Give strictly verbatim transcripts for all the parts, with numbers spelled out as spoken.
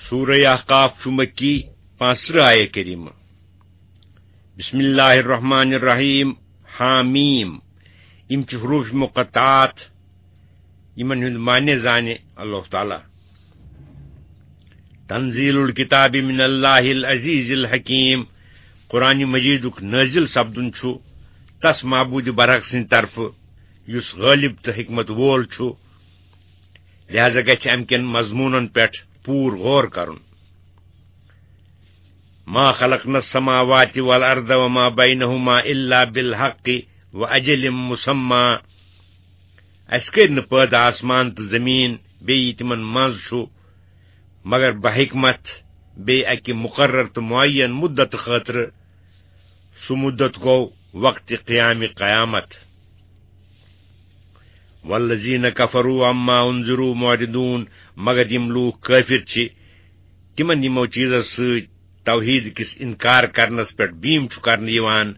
سورہ احقاف چھُ مکی، پانٛژترٕٛہ آیہ کریمہ۔ بسم اللہ الرحمن الرحیم۔ حامیم۔ یِم چھِ حروف مقطعات، یِمن ہُنٛد معنی زانہِ اللہ تعالیٰ۔ تنزیل الکتاب من اللہ العزیز الحکیم۔ قرآن مجیدُک نازل سپدُن چھُ تس معبود برحق سٕنٛدِ طرفہٕ، یُس غالب تہٕ حکمت وول چھُ۔ لہذا گژھِ امہِ کٮ۪ن مضموٗنن پٮ۪ٹھ پوٗرٕ غور کرُن۔ ما خلقنا السماوات والارض وما بينهما الا بالحق واجل مسمى۔ اسہِ کٔرۍ نہٕ پٲدٕ آسمان تہٕ زمیٖن بیٚیہِ یہِ تِمن منٛز چھُ، مگر بحکمت، بیٚیہِ اکہِ مقرر تہٕ معین مدت خٲطرٕ، سُہ مدت گوٚو وقت قیام قیامت۔ والذین کفروا عما انذروا معرضون، مگر یِم لوٗکھ کٲفِر چھِ، تِمن یِمو چیٖزو سۭتۍ توحیٖد کِس اِنکار کرنس پٮ۪ٹھ بیٖم چھُ کرنہٕ یِوان،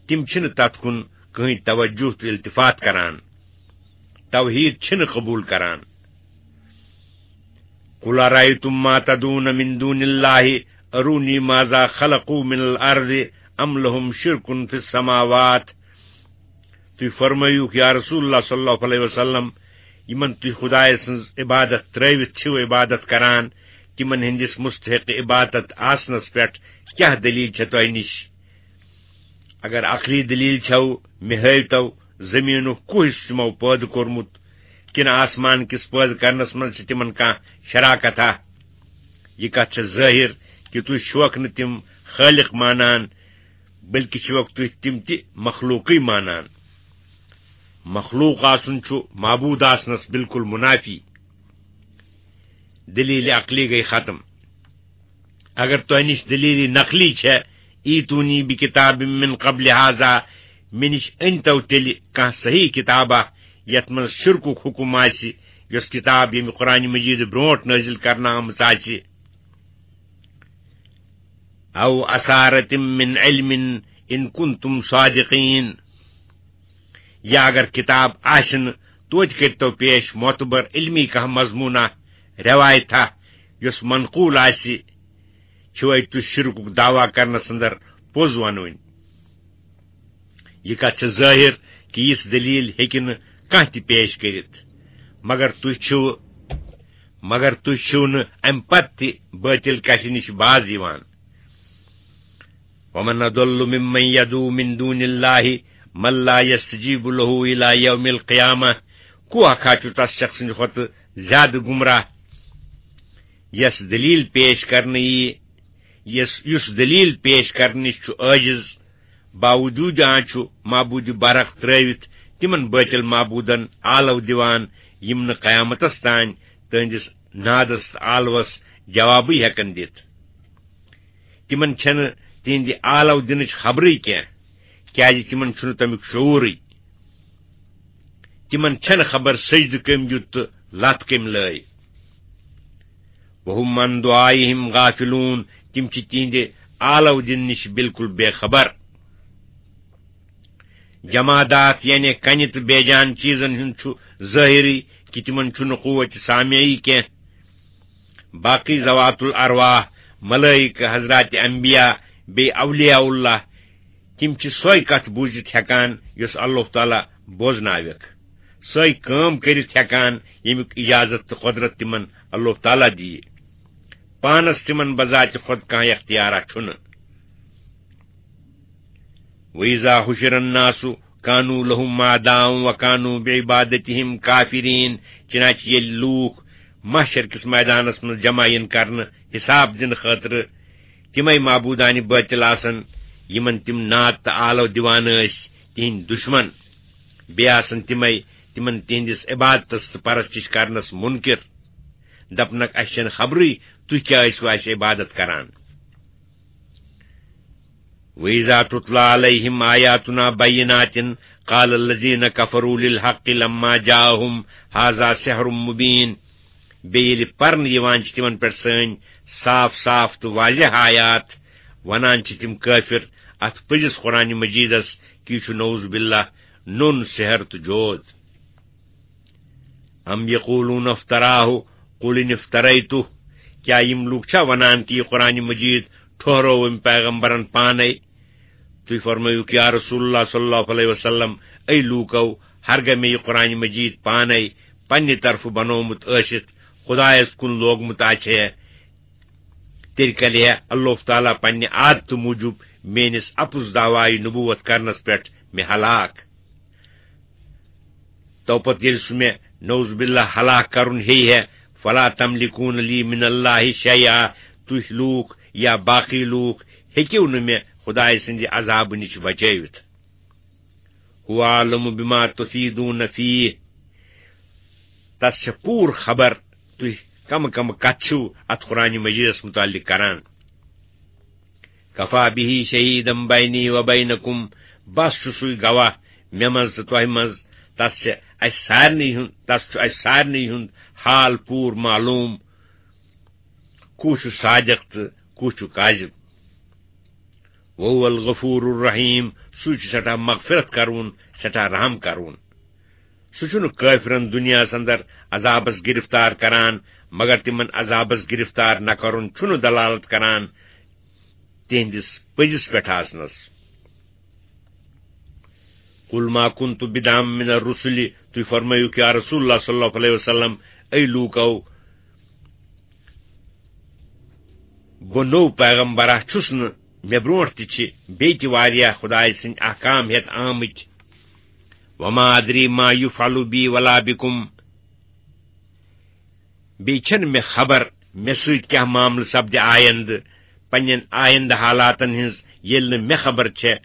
تِم چھِنہٕ تتھ کُن کٕہٕنۍ توجہ تہٕ التفات کران، توحیٖد چھِنہٕ قبوٗل کران۔ قل أرأيتم ما تدعون من دون الله أروني ماذا خلقوا من الأرض أم لهم شرك في السماوات۔ تُہۍ فرمٲیِو، یا رسول اللہ صلی اللہ علیہ وسلم، یِمن تُہۍ خدایہِ سٕنٛز عبادت ترٲوِتھ چھِو عبادت کران، تِمن ہٕنٛدِس مستحق عبادت آسنس پٮ۪ٹھ کیٛاہ دلیل چھےٚ تۄہہِ نِش؟ اگر عقلی دلیل چھو، مےٚ ہٲوتو زمینُک کُس تِمو پٲدٕ کوٚرمُت، کِنہٕ آسمان کِس پٲدٕ کرنس منٛز چھِ تِمن کانٛہہ شراکت ہا؟ یہِ کتھ چھےٚ ظٲہر کہِ تُہۍ چھِوکھ نہٕ تِم خٲلق مانان، بلکہِ چھِوکھ تُہۍ تِم تہِ مخلوقٕے مانان۔ مخلوق آسُن چھُ معبود آسنس بالکل منافی۔ دلیل عقلی گٔے ختم۔ اگر تۄہہِ نِش دلیل نقلی چھےٚ، ایتونی بکتاب من قبل هذا، مےٚ نِش أنۍتو تیٚلہِ کانٛہہ صحیح کتابہ یتھ منٛز شرکُک حکم آسہِ، یۄس کتاب ییٚمہِ قرآن مجید برونٛٹھ نٲزِل کرنہٕ آمٕژ آسہِ۔ او اثارة من علم ان کنتم صادقین۔ یا اگر کتاب آسہِ نہٕ، توتہِ کٔرۍتو پیش معتبر علمی کانٛہہ مضموٗنہ، روایتہ، یۄس منقول آسہِ، چھِوے تُہۍ شرکُک دعویٰ کرنس اندر پوٚز ونوٕنۍ۔ یہِ کتھ چھِ ظٲہر کہِ یِژھ دلیل ہیٚکہِ نہٕ کانٛہہ تہِ پیش کٔرِتھ، مگر تُہۍ چھِو، مگر تُہۍ چھِو نہٕ امہِ پتہٕ تہِ بٲطل کشہِ نِش باز یِوان۔ ومن اضل ممن يدعو من دون الله من لا يستجيب له الى يوم القيامة۔ کُس اکھ ہا چھُ تس شخص سٕنٛدِ کھۄتہٕ زیادٕ گمراہ، یس دلیل پیش کرنہٕ یی، یس، یُس دلیل پیش کرنہٕ نِش چھُ عاجز، باوجود آنچو معبود برحق ترٲوِتھ تِمن بٲطل معبودن آلو دِوان، یِم نہٕ قیامتس تام تہنٛدِس نادس تہٕ آلوس جوابٕے ہٮ۪کن دِتھ۔ تِمن چھنہٕ تِہنٛدِ آلو دِنٕچ خبرٕے کینٛہہ، کیازِ تِمن چھُنہٕ تمیُک شعوٗرٕے۔ تِمن چھنہٕ خبر سجدٕ کٔمۍ دیُت تہٕ لتھ کٔمۍ لٲے۔ وهم عن دعائهم غافلون، تِم چھِ تِہنٛدِ آلو دِنہٕ نِش بالکل بے خبر۔ جمادات یعنی کنہِ تہٕ بے جان چیٖزن ہُنٛد چھُ ظٲہری کہِ تِمن چھُنہٕ قوت سامعی کینٛہہ۔ باقی ذوات الارواح، ملائکہ، حضرات انبیاء، بیٚیہِ اولیاء اللہ، تِم چھِ سۄے کتھ بوٗزِتھ ہٮ۪کان یۄس اللہ تعالیٰ بوزناوٮ۪کھ، سۄے کٲم کٔرِتھ ہٮ۪کان ییٚمیُک اجازت تہٕ قۄدرت تِمن اللہ تعالیٰ دِیہِ۔ پانس تِمن بذات خود کانٛہہ اختیارا چھُنہٕ۔ وَإِذَا حُشِرَ النَّاسُ كَانُوا لَهُمْ أَعْدَاءً وَكَانُوا بِعِبَادَتِهِمْ كَافِرِينَ۔ چنانچہ ییٚلہِ لوٗکھ محشر کِس میدانس منٛز جمع یِن کرنہٕ حساب دِنہٕ خٲطرٕ، تِمے معبوٗدانہِ بٲطِل آسن، یِمن تِم ناد تہٕ آلو دِوان ٲسۍ، تِہنٛدۍ دُشمن۔ بیٚیہِ آسن تِمے تِمن تِہنٛدِس عبادتس تہٕ پرستش کرنس مُنکِر۔ دپنکھ، اسہِ چھنہٕ خبرٕے تُہۍ کیٛاہ ٲسِو اسہِ عبادت کران۔ وَإِذَا تُتْلَى عَلَيْهِمْ آيَاتُنَا بَيِّنَاتٍ قَالَ الَّذِينَ كَفَرُوا لِلْحَقِّ لَمَّا جَاءَهُمْ هَذَا سِحْرٌ مُبِينٌ۔ بیٚیہِ ییٚلہِ پرنہٕ یِوان چھِ تِمن پٮ۪ٹھ سٲنۍ صاف صاف تہٕ واضح آیات، ونان چھِ تِم کٲفِر اتھ پٔزِس قرآن مجیدس کہِ یہِ چھُ نعوذ باللہ نوٚن سحر تہٕ جود۔ أَمْ يَقُولُونَ افْتَرَاهُ قُلْ إِنِ افْتَرَيْتُهُ۔ کیٛاہ یِم لوٗکھ چھا ونان کہِ یہِ قرآن مجید ٹھوہروو أمۍ پیغمبرن پانے؟ تُہۍ فرمٲیِو، یا رسول اللہ صلی اللہ علیہ وسلم، اے لوٗکو، ہرگاہ مےٚ یہِ قرآن مجید پانے پننہِ طرفہٕ بنوومُت ٲسِتھ خدایس کُن لوگمُت آسہِ ہے، تیٚلہِ کَرِ ہے اللہ تعالیٰ پننہِ عادتہٕ موٗجوٗب میٲنِس اپُز دعوایہِ نبوت کرنس پٮ۪ٹھ مےٚ ہلاک۔ تو پتہٕ ییٚلہِ سُہ مےٚ نعوذ باللہ ہلاک کرُن ہیٚیہِ ہے، فلا تملکون لی من اللہ شیئا، تُہۍ لوٗکھ یا باقٕے لوٗکھ ہیٚکِو نہٕ مےٚ خدایہِ سٕنٛدِ عذابہٕ نِش بچٲوِتھ۔ هو اعلم بما تفیضون فیہ، تس چھےٚ پوٗرٕ خبر تُہۍ کمہٕ کمہٕ کتھٕ چھِو اتھ قرآن مجیدس متعلق کران۔ کفا بہ شہیدا بینی و بینکم، بس چھُ سُے گواہ مےٚ منٛز تہٕ تۄہہِ منٛز۔ تس چھِ اسہِ سارنٕے ہُنٛد، تس چھُ اسہِ سارنٕے ہُنٛد حال پوٗرٕ معلوم، کُس چھُ صادق تہٕ کُس چھُ کاذب۔ وہو الغفور الرحیم، سُے چھُ سٮ۪ٹھاہ مغفرت کرون، سٮ۪ٹھاہ رحم کرون۔ سُہ چھُنہٕ کٲفرن دُنیاہس اندر عذابس گرفتار کران، مگر تِمن عذابس گرفتار نہ کرُن چھُنہٕ دلالت کران تِہنٛدِس پٔزِس پٮ۪ٹھ آسنس۔ قل ما كنت بدعا من الرسل، تُہۍ فرمٲیِو کہ یا رسول اللہ صلی اللہ علیہ وسلم، اے لوٗکو، بہٕ نوٚو پیغمبرا چھُس نہٕ، مےٚ برونٛٹھ تہِ چھِ بیٚیہِ تہِ واریاہ خدایہِ سٕنٛدۍ احکام ہٮ۪تھ آمٕتۍ۔ وما ادری ما یفعل بی ولا بکم، بیٚیہِ چھَنہٕ مےٚ خبر مےٚ سۭتۍ کیٛاہ معاملہٕ سپدِ آیندٕ، پننٮ۪ن آیندٕ حالاتن ہٕنٛز ییٚلہِ نہٕ مےٚ خبر چھےٚ،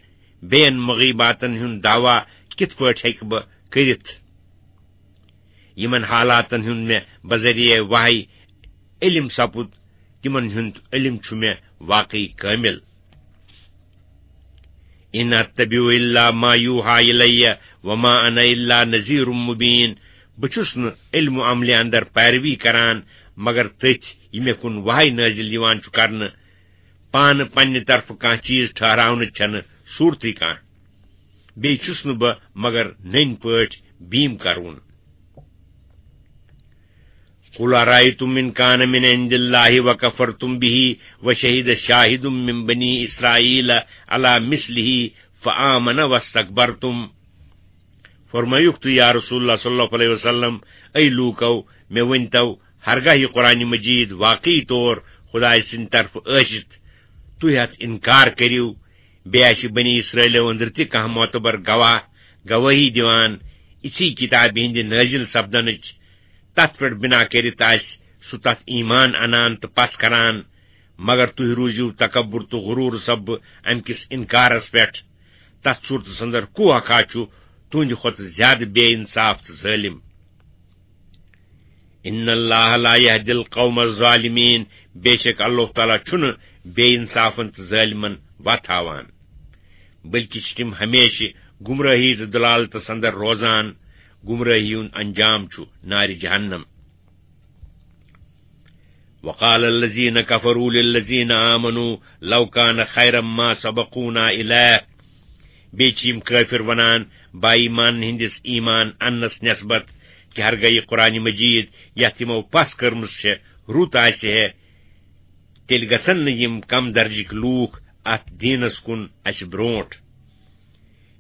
بیٚین مغیباتن ہُنٛد دعویٰ کِتھ پٲٹھۍ ہیٚکہٕ بہٕ کٔرِتھ؟ یِمن حالاتن ہُنٛد مےٚ بذریعہ وحی علم سپُد، تِمن ہُنٛد علم چھُ مےٚ واقعی کٲمل۔ ان اتبع الا ما یوحی الی وما انا الا نذیر مبین۔ بہٕ چھُس نہٕ علم و عملہِ اندر پیروی کران مگر تٔتھۍ یہِ مےٚ کُن وحی نٲزِل یِوان چھُ کرنہٕ۔ پانہٕ پننہِ طرفہٕ کانٛہہ چیٖز ٹھہراونٕچ چھَنہٕ صوٗرتٕے کانٛہہ۔ بیٚیہِ چھُس نہٕ بہٕ مگر نٔنۍ پٲٹھۍ بیٖم کرون۔ قل أرأيتم إن كان من عند الله وكفرتم به وشهد شاهد من بني إسرائيل على مثله فآمن واستكبرتم۔ فرمٲیُکھ تُہۍ، یا رسول اللہ صلی اللہ علیہ وسلم، اے لوٗکو، مےٚ ؤنۍتو، ہرگاہ یہِ قرآن مجید واقعی طور خدایہِ سٕنٛدِ طرفہٕ ٲسِتھ، تُہۍ اَتھ اِنکار کٔرِو، بیٚیہِ آسہِ بنی اسرائیلو أنٛدرٕ تہِ کانٛہہ معتبر گواہ گوٲہی دِوان، یِژھٕے کِتابہِ ہٕنٛدِ نٲزِل سپدنٕچ، تَتھ پٮ۪ٹھ بنا کٔرِتھ آسہِ سُہ تَتھ ایمان اَنان تہٕ پژھ کران، مگر تُہۍ روٗزِو تکبر تہٕ غرور سببہٕ اَمہِ کِس اِنکارس پٮ۪ٹھ۔ تَتھ صوٗرتس اندر کُس ہا چھُ تُہنٛدِ کھۄتہٕ زیادٕ بے انصاف تہٕ ظٲلِم؟ ان اللہ لا یہدی القوم الظالمین، بے شک اللہ تعالیٰ چھُنہٕ بے انصافن تہٕ ظٲلمن وتھ ہاوان، بلکہِ چھِ تِم ہمیشہِ گمراہی تہٕ ضلالتس اندر روزان۔ گمراہی ہُنٛد انجام چھُ نارِ جہنم۔ وقال الذين كفروا للذين آمنوا لو كان خيرا ما سبقونا إليه۔ بیٚیہِ چھِ یِم کٲفِر وَنان با ایٖمان ہٕنٛدِس ایٖمان اَننَس نٮ۪سبت کہِ ہرگاہ یہِ قرآن مجیٖد یَتھ یِمو پَژھ کٔرمٕژ چھےٚ رُت آسہِ ہے، تیٚلہِ گژھن نہٕ یِم کم درجٕکۍ لوٗکھ اَتھ دیٖنَس کُن اَسہِ برٛونٛٹھ۔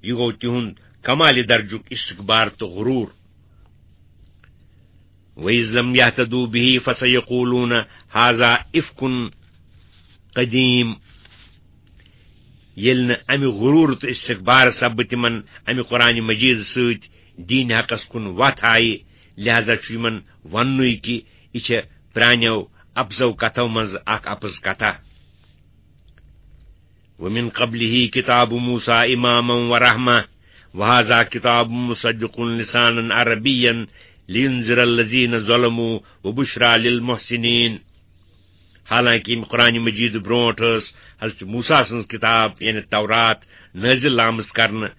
یہِ گوٚو تِہُنٛد کمالہِ درجُک استکبار تہٕ غروٗر۔ وَإِذْ لَمْ يَهْتَدُوا بِهِ فَسَيَقُولُونَ هَذَا إِفْكٌ قَدِيمٌ۔ ییٚلہِ نہٕ اَمہِ غروٗر تہٕ استکبار سببہٕ تِمن اَمہِ قرآنِ مجیٖد سۭتۍ دیٖنِ حقس کُن وَتھ آیہِ، لہذا چھُ یِمن وننُے کہِ یہِ چھےٚ پرٛانیو اَپزو کتھو منٛزٕ اکھ اَپٕز کتھا۔ ومن قبله كتاب موسى إماما ورحمة، وهذا كتاب مصدق لسانا عربيا لينذر الذين ظلموا وبشرى للمحسنين۔ حالانکہ ییٚمہِ قرآن مجید برونٹھ ٲس حضرت موسیٰ سٕنٛز کتاب، یعنی تورات، نٲزِل آمٕژ کرنہٕ،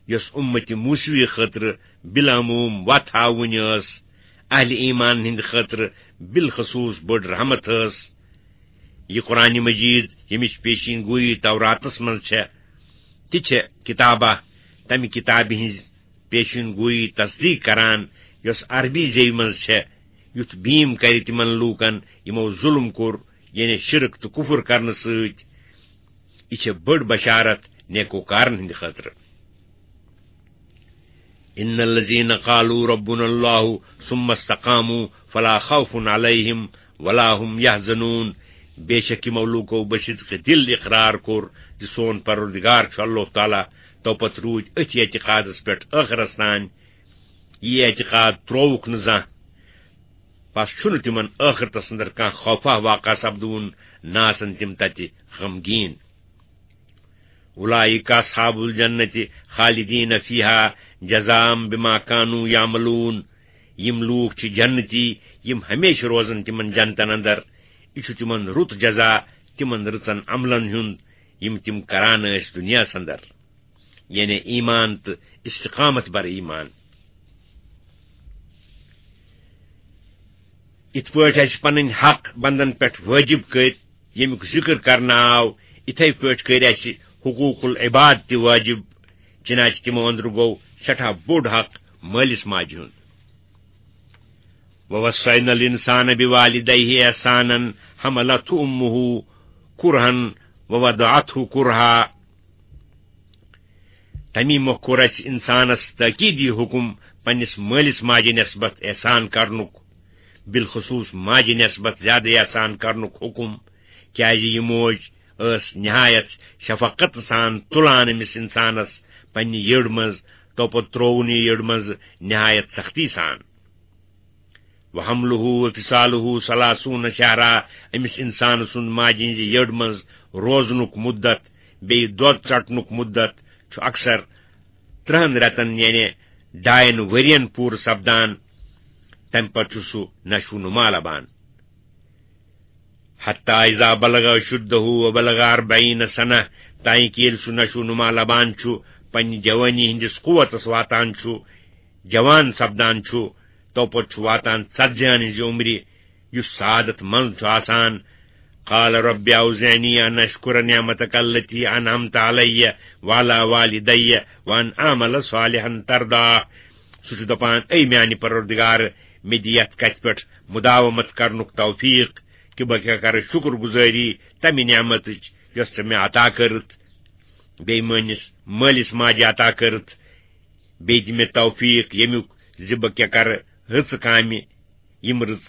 یۄس اُمتِ موسوی خٲطرٕ بالعموم وتھ ہاوٕنۍ ٲس، اہل ایمان ہٕنٛدِ خٲطرٕ بالخصوص بٔڑ رحمت ٲس۔ یہِ قرآن مجید، ییٚمِچ پیشین گویی توراتس منٛز چھےٚ، تہِ چھےٚ کتابہ، تمہِ کتابہِ ہٕنٛز پیشین گویی تصدیق کران، یۄس عربی زیوِ منٛز چھےٚ، یُتھ بیٖم کرِ تِمن لوٗکن، یِمو ظُلم کوٚر، یعنی شرک تہٕ کُفر کرنہٕ سۭتۍ۔ یہِ چھےٚ بٔڑ بشارت نیکوکارن ہٕنٛدِ خٲطرٕ۔ ان الذين قالوا ربنا الله ثم استقاموا فلا خوف عليهم ولا هم يحزنون۔ بے شک یِمو لوٗکو بصدق دِل اقرار کوٚر زِ سون پروردگار چھُ اللہ تعالیٰ، تو پتہٕ روٗدۍ أتھۍ اعتقادس پٮ۪ٹھ ٲخرس تام۔ یہِ اعتقاد ترٛووُکھ نہٕ زانٛہہ۔ پس چھُنہٕ تِمن ٲخرتس اندر کانٛہہ خوفا واقع سپدوُن، نہ آسن تِم تتہِ غمگیٖن۔ اولئک اصحاب الجنة خالدین فیہا جزاء بما کانوا یعملون۔ یِم لوٗکھ چھِ جنتی، یِم ہمیشہِ روزن تِمن جنتن اندر۔ یہِ چھُ تِمن رُت جزا تِمن رٕژن عملن ہُنٛد، یِم تِم کران ٲسۍ دُنیاہس اندر، یعنی ایمان تہٕ استقامت بر ایمان۔ یِتھ پٲٹھۍ اَسہِ پنٕنۍ حق بندن پٮ۪ٹھ وٲجِب کٔرۍ، ییٚمیُک ذِکر کرنہٕ آو، یِتھے پٲٹھۍ کٔرۍ اَسہِ حقوق العباد تہِ وٲجِب، چنانچہ تِمو أنٛدرٕ گوٚو سٮ۪ٹھاہ بوٚڑ حق مٲلِس ماجہِ ہُنٛد۔ ووصینا الانسان بوالدیہ احسانا حملته امه کرہا ووضعته کرہا۔ تمی مۄکھ کوٚر اَسہِ اِنسانس تٲکیٖدی حُکم پننِس مٲلِس ماجہِ نٮ۪سبت احسان کرنُک، بالخصوص ماجہِ نٮ۪سبت زیادٕ احسان کرنُک حُکم، کیازِ یہِ موج ٲس نہایت شفقت سان تُلان أمِس اِنسانس پننہِ یٔڈ منٛز، تو پتہٕ ترٛووُن یہِ یٔڈ منٛز نہایت سختی سان۔ وحمله وفصاله ثلاثون شہرا، أمِس اِنسان سُنٛد ماجہِ ہٕنٛزِ یٔڈ منٛز روزنُک مُدت، بیٚیہِ دۄد ژٹنُک مُدت چھُ اکثر ترٛہن رٮ۪تن، یعنی ڈاین ؤرین پوٗرٕ سپدان۔ تمہِ پتہٕ چھُ سُہ نشو نما لبان۔ حتی اذا بلغ اشدہ وبلغ اربعین سنہ، تانۍ کہِ ییٚلہِ سُہ نشو نما لبان چھُ، پننہِ جوانی ہٕنٛدِس قوتس واتان چھُ، جوان سپدان چھُ، تو پتہٕ چھُ واتان ژتجی ہن ہٕنٛزِ عمرِ، یُس سعادت منٛز چھُ آسان۔ قال رب اوزعنی ان اشکر نعمتک التی انعمت علی وعلی والدی وان اعمل صالحا ترضاہ۔ سُہ چھُ دپان، اے میانہِ پروردگار، مےٚ دِ یتھ کتھِ پٮ۪ٹھ مداومت کرنُک توفیق کہِ بہٕ کیٛاہ کرٕ شُکر گُزٲری تمہِ نعمتٕچ یۄس ژےٚ مےٚ عطا کٔرٕتھ، بیٚیہِ میٲنِس مٲلِس ماجہِ عطا کٔرٕتھ، بیٚیہِ دِ مےٚ توفیق ییٚمیُک زِ بہٕ کیٛاہ کرٕ رٕژٕ کامہِ، یِم رٕژ،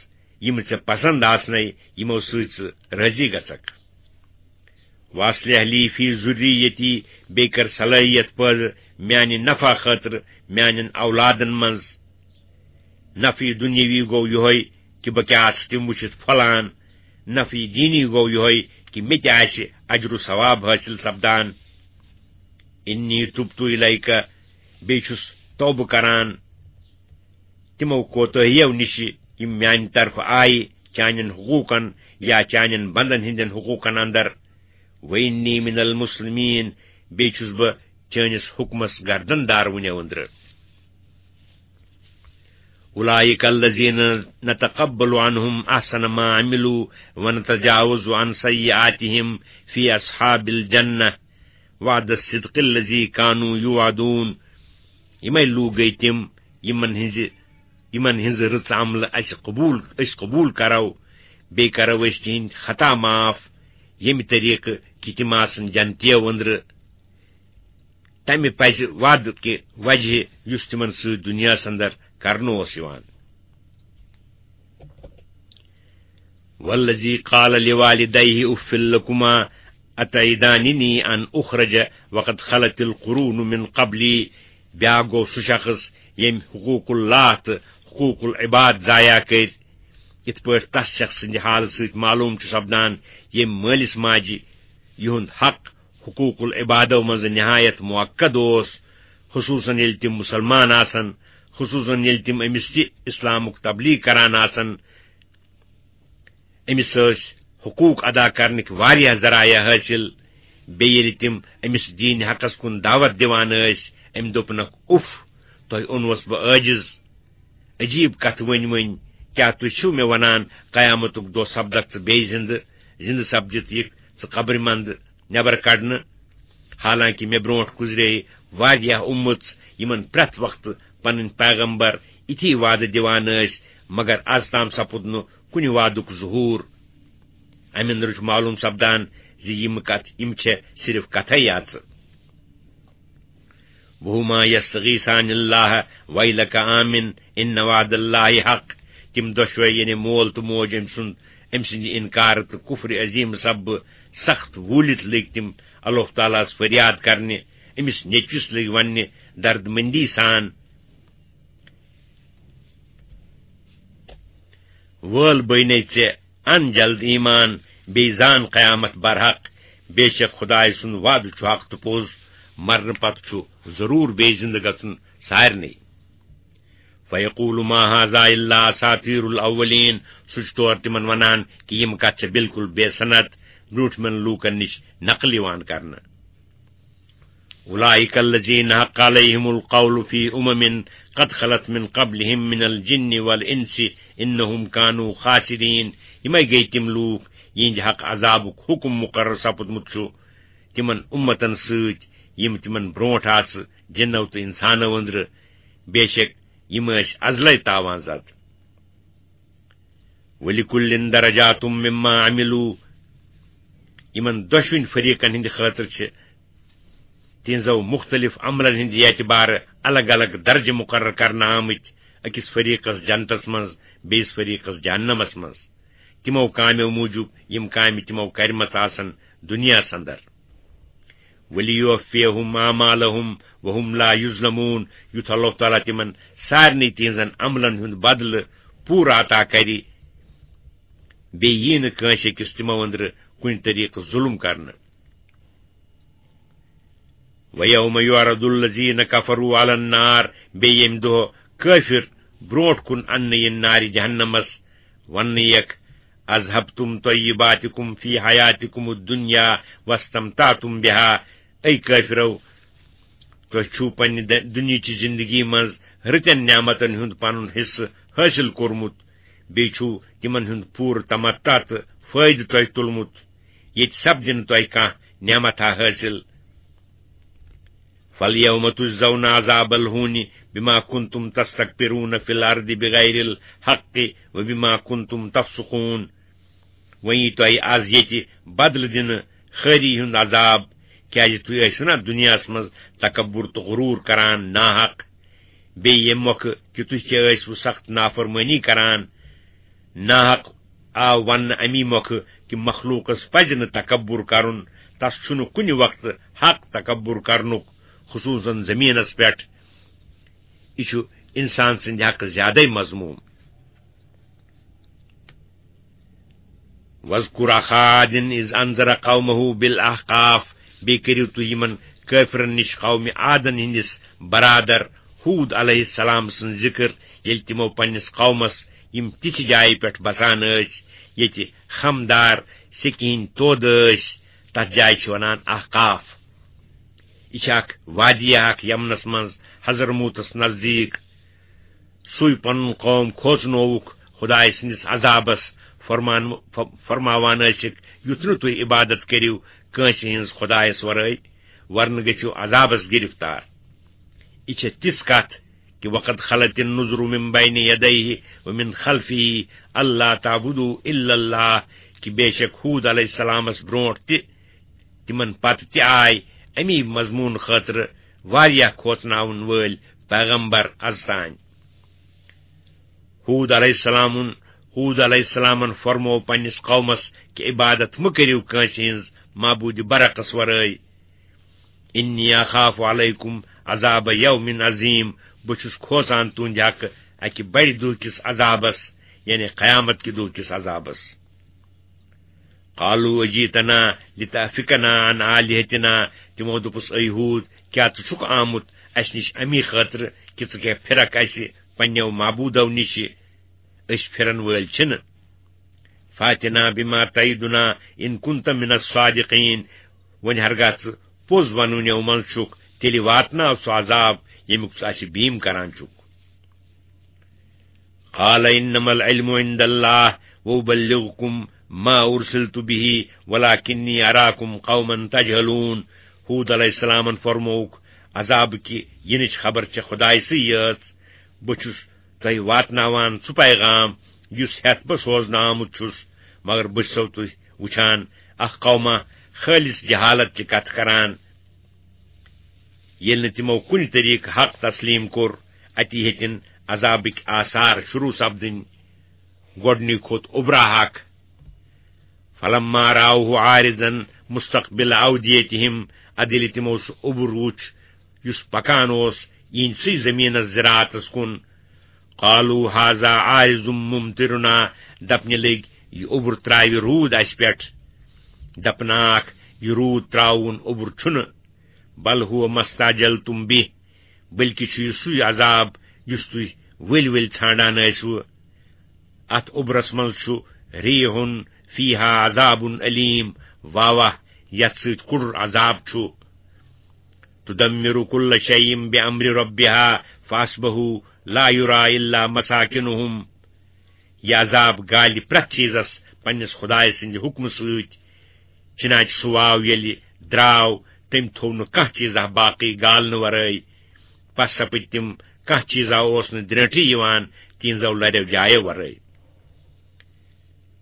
یِم ژےٚ پسند آسنے، یِمو سۭتۍ ژٕ رٲضی گژھکھ۔ واصلح لی فی ذریتی، بیٚیہِ کر صلٲحیت پٲدٕ میانہِ نفع خٲطرٕ میانٮ۪ن اولادن منٛز۔ نفع دُنیاوی گوٚو یِہوٚے کہِ بہٕ کیٛاہ آسہٕ تِم وٕچھِتھ پھۄلان، نفع دینی گوٚو یِہوٚے کہِ مےٚ تہِ آسہِ اجر و ثواب حٲصِل سپدان۔ انی تبت الیک، بیٚیہِ چھُس توبہٕ کران تِمو کوتٲہیو نِشہِ یِم میانہِ طرفہٕ آیہِ چانٮ۪ن حقوٗقن یا چانٮ۪ن بندن ہٕنٛدٮ۪ن حقوٗقن اندر۔ وانی من المسلمین، بیٚیہِ چھُس بہٕ چٲنِس حُکمس گردن دار وُنیو أنٛدرٕ۔ اولئک الذین نتقبل عنہم احسن ما عملوا ونتجاوز عن سیئاتہم فی اصحاب الجنہ وعد الصدق الذی کانوا یوعدون۔ یِمے لوٗکھ گٔے تِم، یِمن ہٕنٛزِ، یِمن ہٕنٛز رٕژ عملہٕ اَسہِ قبوٗل، أسۍ قبوٗل کرو، بیٚیہِ کرو أسۍ تِہنٛدۍ خطا معاف، ییٚمہِ طریقہٕ کہِ تِم آسن جنتیو أنٛدرٕ۔ تمہِ پزِ وعدٕ کہِ وجہہ یُس تِمن سۭتۍ دُنیاہس اندر کرنہٕ اوس یِوان۔ والذی قال لوالدیہ اف لکما اتعداننی ان اخرج وقد خلت القرون من قبلی، بیاکھ گوٚو سُہ شخص ییٚمۍ حقوق اللہ تہٕ حقوق العباد ضایع کٔرۍ۔ یِتھ پٲٹھۍ تس شخص سٕنٛدِ حالہٕ سۭتۍ معلوم چھُ سپدان، ییٚمۍ مٲلِس ماجہِ یِہُنٛد حق حقوق العبادو منٛزٕ نہایت مؤکد اوس، خصوصاً ییٚلہِ تِم مُسلمان آسن، خصوصاً ییٚلہِ تِم أمِس تہِ اِسلامُک تبلیغ کران آسن۔ أمِس ٲسۍ حقوق ادا کرنٕکۍ واریاہ ذرایع حٲصِل۔ بیٚیہِ ییٚلہِ تِم أمِس دیٖن حقس کُن دعوت دِوان ٲسۍ، أمۍ دوٚپنکھ، اُف، تۄہہِ اوٚنوس بہٕ عٲجِز۔ عجیٖب کتھ ؤنۍ ؤنۍ، کیٛاہ تُہۍ چھِو مےٚ ونان، قیامتُک دۄہ سپدکھ ژٕ بیٚیہِ زِندٕ، زِندٕ سپدِتھ یِکھ ژٕ قبرِ منٛدٕ نٮ۪بر کڑنہٕ؟ حالانکہ مےٚ برونٛٹھ گُزرے واریاہ اُمژ، یِمن پرٛٮ۪تھ وقتہٕ پنٕنۍ پیغمبر یِتھی وعدٕ دِوان ٲسۍ، مگر از تام سپُد نہٕ کُنہِ وعدُک ظہور۔ امہِ اندرٕ چھُ معلوم سپدان زِ یِم کتھ، یِم چھےٚ صرف کتھے یاژٕ۔ وہما یستغیثان اللہ ویلک آمن ان وعد اللہ حق۔ تِم دۄشوے، یعنی مول تہٕ موج أمۍ سُنٛد، أمۍ سٕنٛدِ انکار تہٕ کفر عظیم سببہٕ سخت ووٗلِتھ لٔگۍ تِم اللہ تعالیٰ ہس فریاد کرنہِ، أمِس نیٚچوِس لٔگۍ وننہِ دردمندی سان، وٲل بٔنے ژےٚ ان جلد ایمان، بیٚیہِ زان قیامت برحق۔ بے شک خدایہِ سُنٛد وعدٕ چھُ حق تہٕ پوٚز، مرنہٕ پتہٕ چھُ ضروٗر بیٚیہِ زِنٛدٕ گژھُن سارنٕے۔ فیقول ما هذا الا اساطیر الاولین، سُہ چھُ تورٕ تِمن ونان کہِ یِم کتھ چھےٚ بالکل بے سند، برٛونٛٹھمٮ۪ن لوٗکن نِش نقل یِوان کرنہٕ۔ اولئک الذین حق علیہم القول فی امم قد خلت من قبلہم من الجن والانس انہم کانوا خاسرین۔ یِمے گٔے تِم لوٗکھ، یِہنٛدِ حق عذابُک حکم مقرر سپُدمُت چھُ تِمن امتن سۭتۍ، یِم تِمن برٛونٛٹھ آسہٕ، جِنو تہٕ انسانو أنٛدرٕ۔ بے شک یِم ٲسۍ ازلے تاوان زد۔ ولکل درجات مما عملوا، یِمن دۄشوٕنۍ فریقن ہٕنٛدِ خٲطرٕ چھِ تِہنٛزو مُختٔلِف عملن ہٕنٛدِ اعتبارٕ الگ الگ درجہٕ مقرر کرنہٕ آمٕتۍ، أکِس فریقس جنتس منٛز، بیٚیِس فریقس جہنمس منٛز، تِمو کامیو موٗجوٗب، یِم کامہِ تِمو کرِمژٕ آسن دُنیاہس اندر۔ ولیوفیہم اعمالہم وہم لا یظلمون، یُتھ اللہ تعالیٰ تِمن سارنٕے تِہنٛزن عملن ہُنٛد بدلہٕ پوٗرٕ عطا کرِ، بیٚیہِ یی نہٕ کٲنٛسہِ أکِس تِمو أنٛدرٕ کُنہِ طریقہٕ ظُلم کرنہٕ۔ وَيَوْمَ يُعْرَضُ الَّذِينَ كَفَرُوا عَلَى النَّارِ، بیٚیہِ ییٚمہِ دۄہ کٲفِر برٛونٛٹھ کُن اَننہٕ یِن نارِ جہنمس، وَننہٕ یِکھ، أَذْهَبْتُمْ طَيِّبَاتِكُمْ فِي حَيَاتِكُمُ الدُّنْيَا وَاسْتَمْتَعْتُمْ بِهَا، اے کٲفِرو، تۄہہِ چھُو پننہِ د-، دُنیاہچہِ زِندگی منٛز رٕتٮ۪ن نعمتن ہُنٛد پنُن حصہٕ حٲصِل کوٚرمُت، بیٚیہِ چھُو تِمن ہُنٛد پوٗرٕ تمتع تہٕ فٲیدٕ تۄہہِ تُلمُت، ییٚتہِ سپدِ نہٕ تۄہہِ کانٛہہ نعمتھا حٲصِل۔ فَالْيَوْمَ تُجْزَوْنَ عَذَابَ الْهُونِ بِمَا كُنْتُمْ تَسْتَكْبِرُونَ فِي الْأَرْضِ بِغَيْرِ الْحَقِّ وَبِمَا كُنْتُمْ تَفْسُقُونَ۔ وۄنۍ یی تۄہہِ از ییٚتہِ بدلہٕ دِنہٕ خٲری ہُنٛد عذاب، کیازِ تُہۍ ٲسِو نا دُنیاہس منٛز تکبر تہٕ غرور کران ناحق۔ بیٚیہِ ییٚمہِ مۄکھٕ کہِ تُہۍ تہِ ٲسِو سخت نافرمٲنی کران۔ ناحق آو وننہٕ امی مۄکھٕ کہِ مخلوقس پزِ نہٕ تکبر کرُن، تس چھُنہٕ کُنہِ وقتہٕ حق تکبر کرنُک، خصوصاً زمینس پٮ۪ٹھ۔ یہِ چھُ انسان سٕنٛدِ حقہٕ زیادَے مذموم۔ وَاذْكُرْ أَخَا عَادٍ إِذْ أَنذَرَ قَوْمَهُ بِالْأَحْقَافِ، بیٚیہِ کٔرِو تُہۍ یِمن کٲفرن نِش قومِ عادن ہٕنٛدِس برادر ہوٗد علیہ السلام سٕنٛز ذِکر، ییٚلہِ تِمو پننِس قومس یِم تِژھِ جایہِ پٮ۪ٹھ بسان ٲسۍ، ییٚتہِ خمدار سیٚکہِ ہٕنٛدۍ تودٕ ٲسۍ، تتھ جایہِ چھِ ونان احقاف۔ یہِ چھِ اکھ وادی اکھ یمنس منٛز حضرموتس نزدیٖک۔ سُے پنُن قوم کھوژنووُکھ خدایہِ سٕنٛدِس عذابس، فرمان-، ف-، فرماوان ٲسِکھ، یُتھ نہٕ تُہۍ عبادت کٔرِو کٲنٛسہِ ہٕنٛز خدایس ورٲے، ورنہٕ گٔژھِو عذابس گرفتار۔ یہِ چھےٚ تِژھ کتھ کہِ وقد خلت النذر من بین یدیہ ومن خلفہ اللہ تعبدوا الا اللہ، کہِ بے شک ہوٗد علیہ السلامس برونٹھ تہِ، تِمن پتہٕ تہِ آے امی مضمون خٲطرٕ واریاہ کھوژناون وٲلۍ پیغمبر از تام۔ ہوٗد علیہ السلامُن، ہوٗد علیہ السلامن فرموو پننِس قومس کہِ عبادت مہٕ کٔرِو کٲنٛسہِ ہٕنٛز معبوٗدِ برحقس ورٲے۔ انی اخاف علیکم عذاب یوم عظیم، بہٕ چھُس کھوژان تُہنٛدِ حقہٕ اکہِ بڑِ دۄہ کِس عذابس، یعنی قیامت کہِ دۄہ کِس عذابس۔ قالوا اجیتنا لتأفکنا عن آلہتنا، تِمو دوٚپُس، اے ہوٗد، کیٛاہ ژٕ چھُکھ آمُت اسہِ نِش امی خٲطرٕ کہِ ژٕ کیٛاہ پھرکھ اسہِ پننیو معبوٗدو نِشہِ؟ أسۍ پھرن وٲلۍ چھِنہٕ۔ فاتنا بما تعدنا ان کنت من الصادقین، وۄنۍ ہرگاہ ژٕ پوٚز ونوٕنیو منٛز چھُکھ، تیٚلہِ واتناو سُہ عذاب ییٚمیُک ژٕ اسہِ بیٖم کران چھُکھ۔ قال انما العلم عند اللہ وابلغکم ما ارسلت به ولکنی اراکم قوما تجہلون۔ ہوٗد علیہ السلامن فرمووُکھ، عذاب کہِ یِنٕچ خبر چھےٚ خدایہِ سٕے یٲژ، بہٕ چھُس تۄہہِ واتناوان سُہ پیغام یُس ہٮ۪تھ بہٕ سوزنہٕ آمُت چھُس، مگر بہٕ چھُسو تُہۍ وُچھان اکھ قوما خٲلص جہالت چہِ کتھٕ کران۔ ییٚلہِ نہٕ تِمو کُنہِ طریقہٕ حق تسلیم کوٚر، اتی ہیٚتِن عذابٕکۍ آثار شروع سپدٕنۍ۔ گۄڈٕنی کھوٚت اوٚبراہک۔ فلما راوه عارضا مستقبل اودیتهم، ادٕ ییٚلہِ تِمو سُہ اوٚبُر وُچھ یُس پکان اوس یِہنٛدسٕے زٔمیٖنس زِراعتس کُن، قالوا هذا عارض ممطرنا، دپنہِ لٔگۍ، یہِ اوٚبُر ترٛاوِ روٗد اسہِ پٮ۪ٹھ۔ دپناکھ، یہِ روٗد ترٛاوُن اوٚبُر چھُنہٕ، بل هو ما استعجلتم به، بلکہِ چھُ یہِ سُے عذاب یُس تُہۍ ؤلۍ ؤلۍ ژھانڈان ٲسِوٕ۔ اتھ اوٚبرس منٛز چھُ ریح فیہا عذاب علیم، واہ واہ، یتھ سۭتۍ کُڑُر عذاب چھُ۔ تدمر کل شیء بامر ربها فاصبحوا لا یری الا مساکنهم۔ یہِ عذاب گالہِ پرٛٮ۪تھ چیٖزس پننِس خدایہِ سٕنٛدِ حُکمہٕ سۭتۍ۔ چنانچہ سُہ واو ییٚلہِ درٛاو، تٔمۍ تھوٚو نہٕ کانٛہہ چیٖزا باقٕے گالنہٕ ورٲے۔ پس سپٕدۍ تِم، کانٛہہ چیٖزا اوس نہٕ درٛٲنٛٹھٕے یِوان تِہنٛزو لرٮ۪و جایو ورٲے۔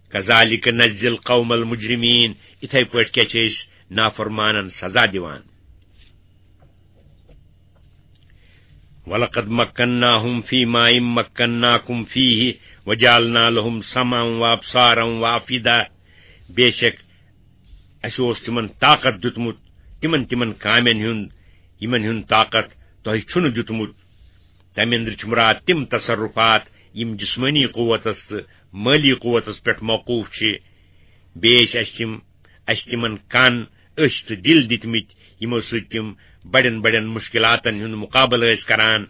کذالک نجزی القوم المجرمین، اِتھے پٲٹھۍ کیٛاہ چھِ أسۍ نافرمانن سزا دِوان۔ ولقد مکناهم فی ماء مکناکم فیہ وجعلنا لهم سمعا وابصارا وافئدہ، بے شک اسہِ اوس تِمن طاقت دیُتمُت، تِمن تِمن کامٮ۪ن ہُنٛد، یِمن ہُنٛد طاقت تۄہہِ چھُنہٕ دیُتمُت۔ تمہِ اندرٕ چھُ مراد تِم تصرفات یِم جسمٲنی قوتس تہٕ مٲلی قوتس پٮ۪ٹھ موقوف چھِ۔ بیٚیہِ ٲسۍ اَسہِ تِم، اَسہِ تِمن کَن، أچھ تہٕ دِل دِتمٕتۍ، یِمو سۭتۍ تِم بڑٮ۪ن بڑٮ۪ن مُشکِلاتن ہُنٛد مُقابلہٕ ٲسۍ کران۔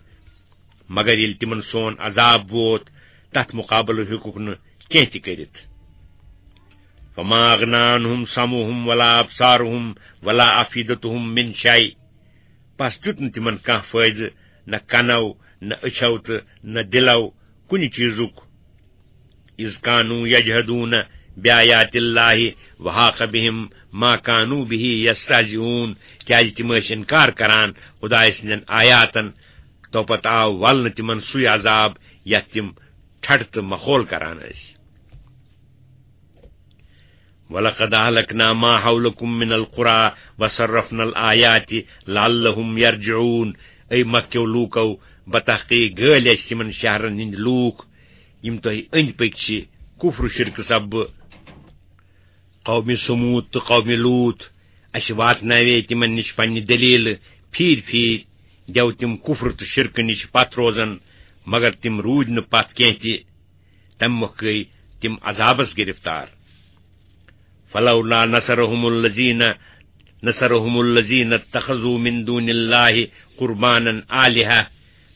مگر ییٚلہِ تِمن سون عذاب ووت، تتھ مُقابلہٕ ہیوٚکُکھ نہٕ کینٛہہ تہِ کٔرِتھ۔ فما اغنی عنہم سمعہم ولا ابصارہم ولا افئدتہم من شیء۔ پس دیُت نہٕ تِمن کانٛہہ فٲیدٕ، نہ کنو، نہ أچھو تہٕ نہ دِلو کُنہِ چیٖزُک۔ اذ کانوا یجحدون بآیات اللہ وحاق بهم ما کانوا به یستہزئون، کیازِ تِم ٲسۍ انکار کران خدایہِ سٕنٛدٮ۪ن آیاتن، تو پتہٕ آو ولنہٕ تِمن سُے عذاب یتھ تِم ٹھٹھٕ تہٕ مخول کران ٲسۍ۔ ولقد اهلكنا ما حولكم من القرى وصرفنا الآيات لعلهم يرجعون۔ اے مکیو لوٗکو، بتحقیق گٲلۍ اَسہِ تِمن شہرن ہٕنٛدۍ لوٗکھ، یِم تۄہہِ أنٛدۍ پٔکۍ چھِ کفر و شرکہٕ سببہٕ۔ قوم ثمود تہٕ قوم لوط، اَسہِ واتناوے تِمن نِش پننہِ دٔلیٖلہٕ پھیٖرۍ پھیٖرۍ، گٮ۪و تِم کفر تہٕ شرکہٕ نِش پتھ روزن، مگر تِم روٗدۍ نہٕ پتھ کینٛہہ تہِ۔ تمہِ مۄکھٕ گٔیہِ تِم عذابس گرفتار۔ فلولا نصرهم الذين، نصرهم الذين اتخذوا من دون الله قربانا آلهة۔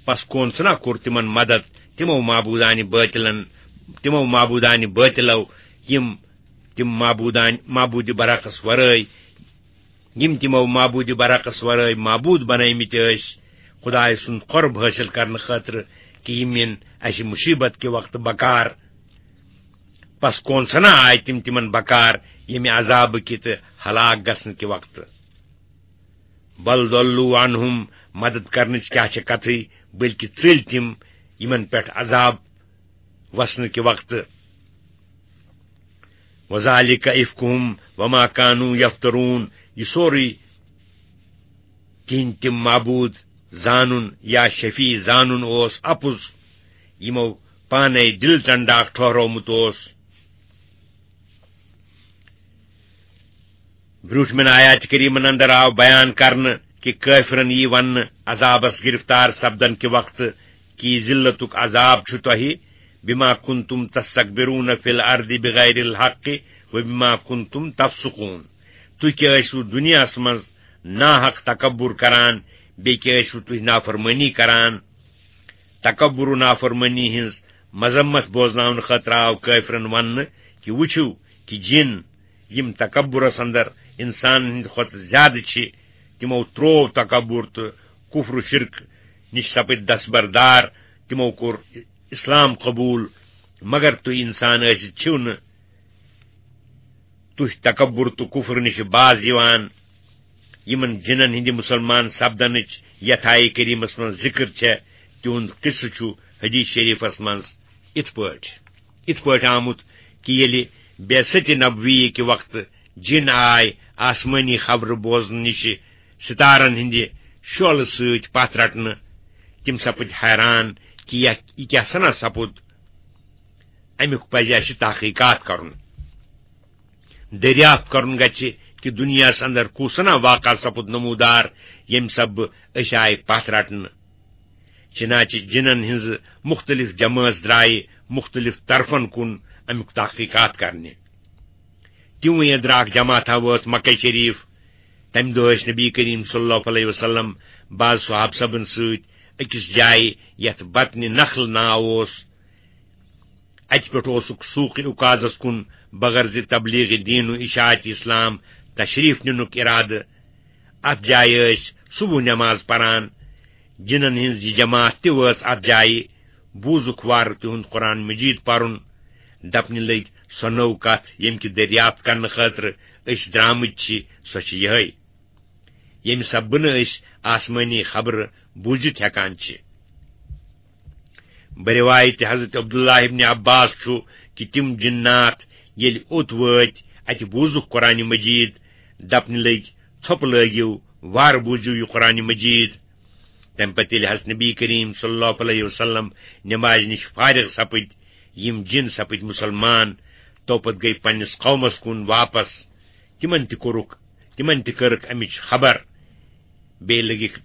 پس کون سنا کوٚر تِمن مدد تِمو معبودانہِ باطلن، تِمو معبودانہِ باطلو، یِم تِم معبودانہِ، معبودِ برحقس ورٲے، یِم تِمو معبودِ برحقس ورٲے معبود بنٲومٕتۍ ٲسۍ خدایہِ سُنٛد قرب حٲصِل کرنہٕ خٲطرٕ، کہِ یِم یِن اَسہِ مُصیبت کہِ وقتہٕ بکار۔ پس کون سنا آے تِم تِمن بکار ییٚمہِ عذابہٕ کہِ تہٕ ہلاک گژھنہٕ کہِ وقتہٕ۔ بل ضلوا عنهم، مدد کرنٕچ کیٛاہ چھےٚ کتھٕے، بلکہِ ژٔلۍ تِم یِمن پٮ۪ٹھ عذاب وسنہٕ کہِ وقتہٕ۔ وذلك افکہم وما کانوا یفترون، یہِ سورُے تِہنٛدۍ تِم معبود زانُن یا شفیع زانُن اوس اپُز، یِمو پانے دِل ٹنڈاک ٹھوہرومُت اوس۔ برٛونٛٹھمٮ۪ن آیات کریٖمن اندر آو بیان کرنہٕ کہِ کٲفرن یی وننہٕ عذابس گرفتار سپدن کہِ وقتہٕ کہِ یہِ ذلتُک عذاب چھُ تۄہہِ، بما کنتم تستكبرون في الارض بغیر الحق وبما کنتم تفسقون۔ تُہۍ کیٛاہ ٲسِو دُنیاہس منٛز ناحق تکبر کران، بیٚیہِ کیٛاہ ٲسِو تُہۍ نافرمٲنی کران؟ تکبر و نافرمٲنی ہٕنٛز مذمت بوزناونہٕ خٲطرٕ آو کٲفرن وننہٕ کہِ وٕچھِو کہِ جِن، یِم تکبرس اندر انسانن ہٕنٛدِ کھۄتہٕ زیادٕ چھِ، تِمو تروو تکبر تہٕ کفر و شرک نِش سپٕدۍ دستبردار، تِمو کوٚر اسلام قبول، مگر تُہۍ انسان ٲسِتھ چھِو نہٕ، تُہۍ تکبر تہٕ کفر نِش باز یِوان۔ یِمن جِنن ہٕنٛدِ مسلمان سپدنٕچ یتھ آیہِ کریٖمس منٛز ذکر چھےٚ، تِہُنٛد قصہٕ چھُ حدیث شریفس منٛز یِتھ پٲٹھۍ، یِتھ پٲٹھۍ آمُت کہِ ییٚلہِ بعثت نبوی کہِ وقتہٕ جِن آے آسمٲنی خبرٕ بوزنہٕ نِش ستارن ہٕنٛدِ شعلہٕ سۭتۍ پتھ رٹنہٕ، تِم سپٕدۍ حیران کہِ یہِ، یہِ کیٛاہ سنا سپُد؟ امیُک پزِ اسہِ تحقیقات کرُن۔ دریافت کرُن گژھِ کہِ دُنیاہس اندر کُس سنا واقعہ سپُد نمودار، ییٚمہِ سببہٕ أسۍ آے پتھ رٹنہٕ۔ چنانچہ جنن ہٕنٛزٕ مختلف جمٲژ درایہِ مختلف طرفن کُن امیُک تحقیقات کرنہِ۔ تِموٕے اندرٕ اکھ جماعتھا وٲژ مکہ شریف۔ تمہِ دۄہ ٲسۍ نبی کریم صلی اللہ علیہ وسلم بعض صحابہ صٲبن سۭتۍ أکِس جایہِ یتھ بطنِ نخل ناو اوس۔ اتہِ پٮ۪ٹھ اوسُکھ سوق عکاظس کُن بغرض تبلیغ دین و اشاعت اسلام تشریف نِنُک ارادٕ۔ اتھ جایہِ ٲسۍ صبح نماز پران۔ جنن ہٕنٛز یہِ جماعت تہِ وٲژ اتھ جایہِ۔ بوٗزُکھ وارٕ تِہُنٛد قرآن مجید پرُن۔ دپنہِ لٔگۍ، سۄ نٔو کتھ، ییٚمہِ کہِ دریافت کرنہٕ خٲطرٕ أسۍ درامٕتۍ چھِ، سۄ چھِ یِہے، ییٚمہِ سببہٕ نہٕ أسۍ آسمٲنی خبرٕ بوٗزِتھ ہٮ۪کان چھِ۔ بروایت حضرت عبداللہ ابن عباس چھُ کہِ تِم جنات ییٚلہِ اوٚت وٲتۍ، اتہِ بوٗزُکھ قرآن مجید، دپنہِ لٔگۍ، ژھۄپہٕ لٲگِو، وارٕ بوٗزِو یہِ قرآن مجید۔ تمہِ پتہٕ ییٚلہِ حضرت نبی کریم صلی اللہ علیہ وسلم نمازِ نِش فارغ سپٕدۍ، یِم جِن سپٕدۍ مُسلمان، تو پتہٕ گٔے پننِس قومس کُن واپس۔ تِمن تہِ کوٚرُکھ، تِمن تہِ کٔرٕکھ امِچ خبر۔ بیٚیہِ لٔگِکھ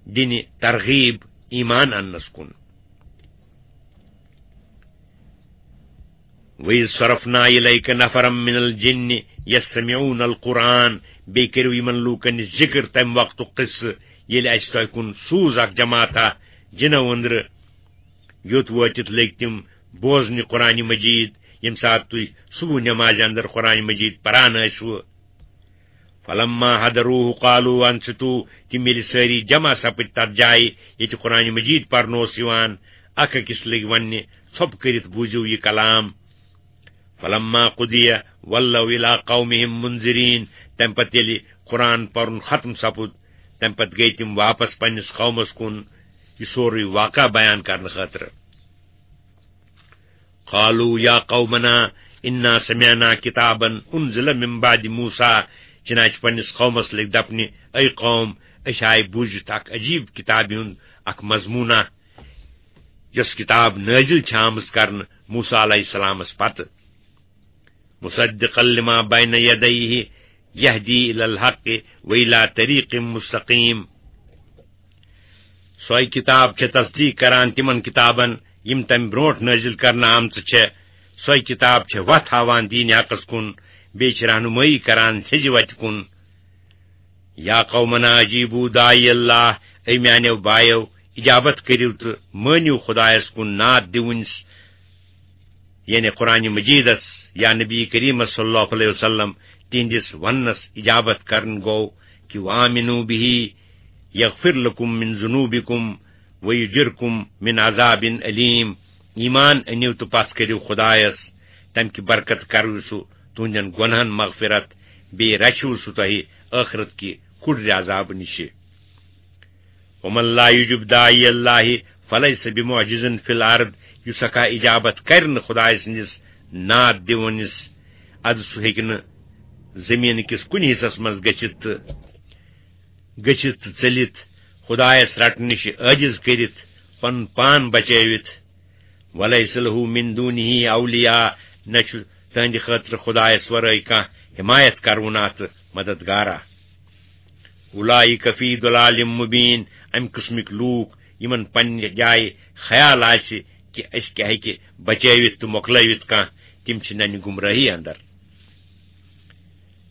دِنہِ ترغیب ایمان اننس کُن۔ وَإِذْ صَرَفْنَا إِلَيْكَ نَفَرًا مِنَ الْجِنِّ يَسْتَمِعُونَ الْقُرْآنَ۔ بیٚیہِ کٔرِو یِمن لوٗکن نِش ذِکر تَمہِ وقتُک قصہٕ، ییٚلہِ اَسہِ تۄہہِ کُن سوٗز اکھ جماعتھا جِنو أنٛدرٕ، یوٚت وٲتِتھ لٔگۍ تِم بوزنہِ قرآنِ مجیٖد، ییٚمہِ ساتہٕ تُہۍ صبح نمازِ اندر قرآنِ مجیٖد پران ٲسِوٕ۔ فلما حضروه قالوا انصتوا، تِم ییٚلہِ سٲری جمع سپٕدۍ تتھ جایہِ ییٚتہِ قرآن مجید پرنہٕ اوس یِوان، اکھ أکِس لٔگۍ وننہِ، ژھۄپہٕ کٔرِتھ بوٗزِو یہِ کلام۔ فلما قضی ولوا الی قومہم منذرین، تمہِ پتہٕ ییٚلہِ قرآن پرُن ختم سپُد، تمہِ پتہٕ گٔیہِ تِم واپس پننِس قومس کُن یہِ سورُے واقعہ بیان کرنہٕ خٲطرٕ۔ قالوا یا قومنا انا سمعنا کتابا انزل من بعد موسی، چنانچہ پننِس قومس لٔگۍ دپنہِ، اے قوم، أسۍ آے بوٗزِتھ اکھ عجیب کتابہِ ہُنٛد اکھ مضموٗنہ، یۄس کتاب نٲزِل چھِ آمٕژ کرنہٕ موسی علیہ السلامس پتہٕ۔ مصدقا لما بین یدیہ یہدی الی الحق و الی طریق مستقیم۔ سۄے کتاب چھےٚ تصدیق کران تِمن کتابن یِم تمہِ برونٹھ نٲزِل کرنہٕ آمژٕ چھےٚ۔ سۄے کتاب چھےٚ وتھ ہاوان دین حقس کُن، بیٚیہِ چھِ رہنمٲیی کران سیٚزِ وتہِ کُن۔ یا قومنا اجیبوا داعی اللہ، اے میانیو بایو، اجابت کٔرِو تہٕ مٲنِو خدایس کُن نعت دِوٕنِس، یعنی قرآن مجیدس یا نبی کریمس صلی اللہ علیہ وسلم تہندِس وننس اجابت کرن گوٚو کہ وآمنوا به یغفر لکم من ذنوبکم ویجرکم من عذاب علیم۔ ایمان أنِو تہٕ پژھ کٔرِو خدایس، تمہِ کہِ برکت کرو سُہ تُہندٮ۪ن گۄنہن مغفرت، بیٚیہِ رچھو سُہ تۄہہِ ٲخرت کہِ کُڑرِ عذابہٕ نِشہِ۔ ومن لا یجب داعی اللہ فلیس بمعجز فی الارض، یُس ہا کانٛہہ اجابت کرِ نہٕ خدایہِ سٕنٛدِس نعت دِوٲنِس، ادٕ سُہ ہیٚکہِ نہٕ زٔمیٖن کِس کُنہِ حصس منٛز گٔژھِتھ تہٕ گٔژھِتھ تہٕ ژٔلِتھ، خدایس رٹنہٕ نِش عٲجِز کٔرِتھ، پنُن پان بچٲوِتھ۔ ولیس لہ من دونہ اولیاء، نہ چھُ تہنٛدِ خٲطرٕ خدایس ورٲے کانٛہہ حمایت کرونہ تہٕ مددگارا۔ اولئک فی ضلال مبین، امہِ قٕسمٕکۍ لوٗکھ یِمن پننہِ جایہِ خیال آسہِ کہِ أسۍ کیٛاہ ہیٚکہِ بچٲوِتھ تہٕ مۄکلٲوِتھ کانٛہہ، تِم چھِ ننہِ گمراہی اندر۔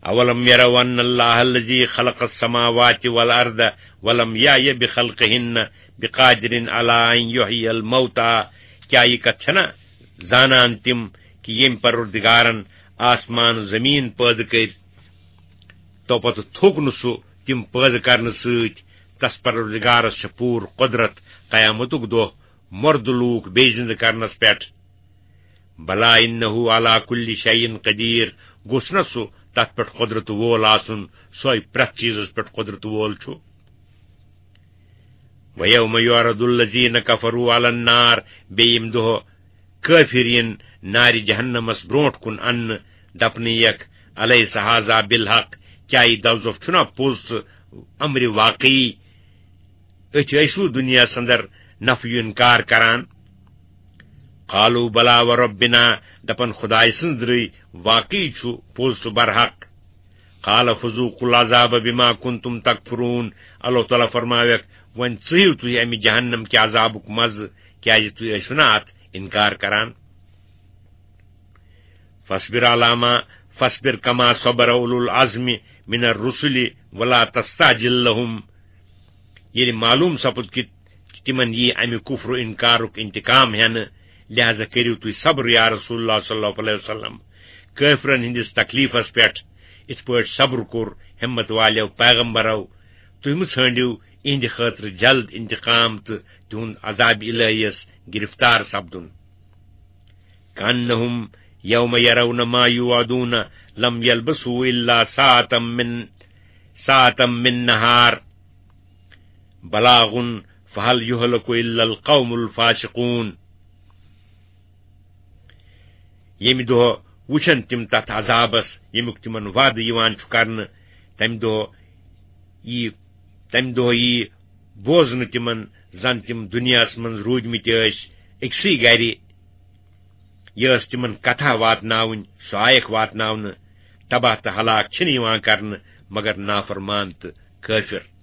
اولم یروا ان اللہ الذی خلق السماوات والارض ولم یعی بخلقہن بقادر علی ان یحیی الموتی، کیٛاہ یہِ کتھ چھنا زانان تِم کہِ ییٚمۍ پروردگارن آسمان زمین پٲدٕ کٔرۍ، تو پتہٕ تھوٚک نہٕ سُہ تِم پٲدٕ کرنہٕ سۭتۍ؟ تس پروردگارس چھِ پوٗرٕ قۄدرت قیامتُک دۄہ مردٕ لوٗکھ بیٚیہِ زِندٕ کرنس پٮ۪ٹھ۔ بلا انہ علی کل شیء قدیر، گوٚژھ نہ سُہ تتھ پٮ۪ٹھ قۄدرت وول آسُن، سُے پرٛٮ۪تھ چیٖزس پٮ۪ٹھ قۄدرت وول چھُ؟ وَيَوْمَ يُعْرَضُ الَّذِينَ كَفَرُوا عَلَى النَّارِ، بیٚیہِ ییٚمہِ دۄہ کٲفِر یِن نارِ جہنمس برونٛٹھ کُن اننہٕ، دپنہٕ یِیَکھ، أَلَيْسَ هَذَا بِالْحَقِّ، کیٛاہ یہِ دوزخ چھُنا پوٚز تہٕ امرِ واقعی؟ أتھۍ ٲسوٕ دُنیاہس اندر نفی انکار کران؟ قَالُوا بَلَىٰ وَرَبِّنَا، دپن خدایہِ سٕنٛز درٕے واقعی چھُ پوٚز تہٕ برحق۔ قَالَ فَذُوقُوا الْعَذَابَ بِمَا كُنتُمْ تَكْفُرُونَ، اللہ تعالیٰ فرماویکھ، وۄنۍ ژٕہِو تُہۍ امہِ جہنم کہِ عذابُک مزٕ، کیازِ تُہۍ ٲسِو نا اتھ انکار کران۔ فَاصْبِرْ عَلَىٰ مَا، فَاصْبِرْ كَمَا صَبَرَ أُولُو الْعَزْمِ مِنَ الرُّسُلِ وَلَا تَسْتَعْجِل لَّهُمْ۔ ییٚلہِ معلوم سپُد کہِ تِمن یی امہِ کفر و انکارُک انتقام ہٮ۪نہٕ، لہذا کٔرِو تُہۍ صبر یا رسول اللہ صلی اللہ علیہ وسلم۔ کٲفرن ہٕنٛدِس تکلیفس پٮ۪ٹھ یِتھ پٲٹھۍ صبر کوٚر ہمت والیو پیغمبرو، تُہۍ مہٕ ژھٲنٛڈِو یِہنٛدِ خٲطرٕ جلد انتقام تہٕ تِہُنٛد عذاب الہیس گرفتار سپدُن۔ كَأَنَّهُمْ يَوْمَ يَرَوْنَ مَا يُوعَدُونَ لَمْ يَلْبَثُوا إِلَّا سَاعَةً مِّن، سَاعَةً مِّن نَّهَارٍ بَلَاغٌ فَهَلْ يُهْلَكُ إِلَّا الْقَوْمُ الْفَاسِقُونَ۔ ییٚمہِ دۄہ وٕچھن تِم تتھ عذابس، ییٚمیُک تِمن وعدٕ یِوان چھُ کرنہٕ، تمہِ دۄہ یی، تمہِ دۄہ یی بوزنہٕ تِمن زن تِم دُنیاہس منٛز روٗدمٕتۍ ٲسۍ أکسٕے گرِ۔ یہِ ٲس تِمن کتھا واتناوٕنۍ، سۄ آیکھ واتناونہٕ۔ تباہ تہٕ ہلاک چھِنہٕ یِوان کرنہٕ مگر نافرمان تہٕ کٲفر۔